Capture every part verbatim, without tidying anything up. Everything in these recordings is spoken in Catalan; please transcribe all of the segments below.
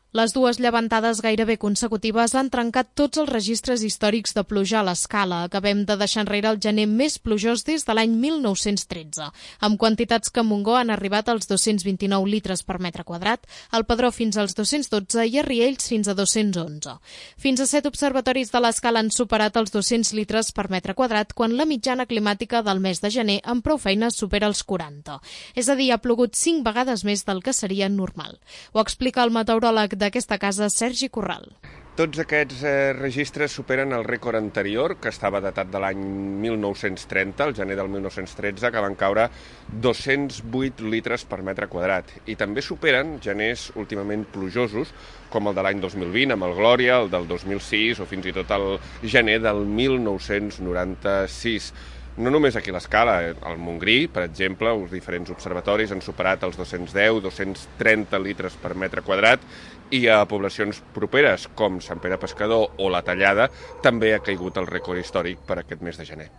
Les dues llevantades gairebé consecutives han trencat tots els registres històrics de pluja a l'Escala. Acabem de deixar enrere el gener més plujós des de l'any mil nou-cents tretze, amb quantitats que a Montgó han arribat als dos-cents vint-i-nou litres per metre quadrat, al Padró fins als dos-cents dotze i a Riells fins a dos-cents onze. Fins a set observatoris de l'Escala han superat els dos-cents litres per metre quadrat, quan la mitjana climàtica del mes de gener amb prou feines supera els quaranta. És a dir, ha plogut cinc vegades més del que seria normal. Ho explica el meteoròleg d'aquesta casa, Sergi Corral. Tots aquests eh, registres superen el rècord anterior, que estava datat de l'any mil nou-cents trenta, el gener del mil nou-cents tretze, que van caure dos-cents vuit litres per metre quadrat. I també superen geners últimament plujosos, com el de l'any dos mil vint, amb el Glòria, el del dos mil sis o fins i tot el gener del mil nou-cents noranta-sis. No només aquí a l'Escala, al Montgrí, per exemple, els diferents observatoris han superat els dos-cents deu a dos-cents trenta litres per metre quadrat i a poblacions properes, com Sant Pere Pescador o La Tallada, també ha caigut el rècord històric per aquest mes de gener.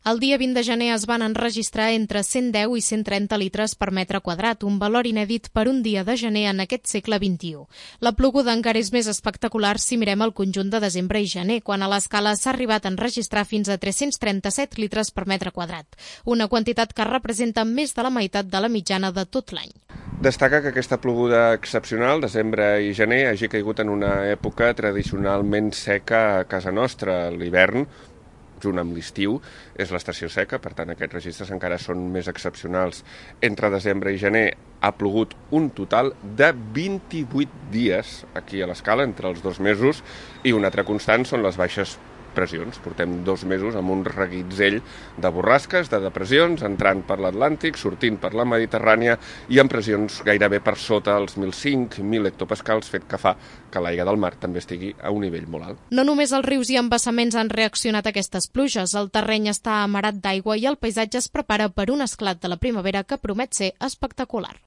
El dia vint de gener es van enregistrar entre cent deu i cent trenta litres per metre quadrat, un valor inèdit per un dia de gener en aquest segle vint-i-u. La ploguda encara és més espectacular si mirem el conjunt de desembre i gener, quan a l'Escala s'ha arribat a enregistrar fins a tres-cents trenta-set litres per metre quadrat, una quantitat que representa més de la meitat de la mitjana de tot l'any. Destaca que aquesta ploguda excepcional, desembre i gener, hagi caigut en una època tradicionalment seca a casa nostra, l'hivern, junt amb l'estiu, és l'estació seca, per tant aquests registres encara són més excepcionals. Entre desembre i gener ha plogut un total de vint-i-vuit dies aquí a l'Escala, entre els dos mesos, i una altra constant són les baixes pressions. Portem dos mesos amb un reguitzell de borrasques, de depressions, entrant per l'Atlàntic, sortint per la Mediterrània i amb pressions gairebé per sota els mil cinc mil hectopascals, fet que fa que l'aigua del mar també estigui a un nivell molt alt. No només els rius i embassaments han reaccionat a aquestes pluges, el terreny està amarat d'aigua i el paisatge es prepara per un esclat de la primavera que promet ser espectacular.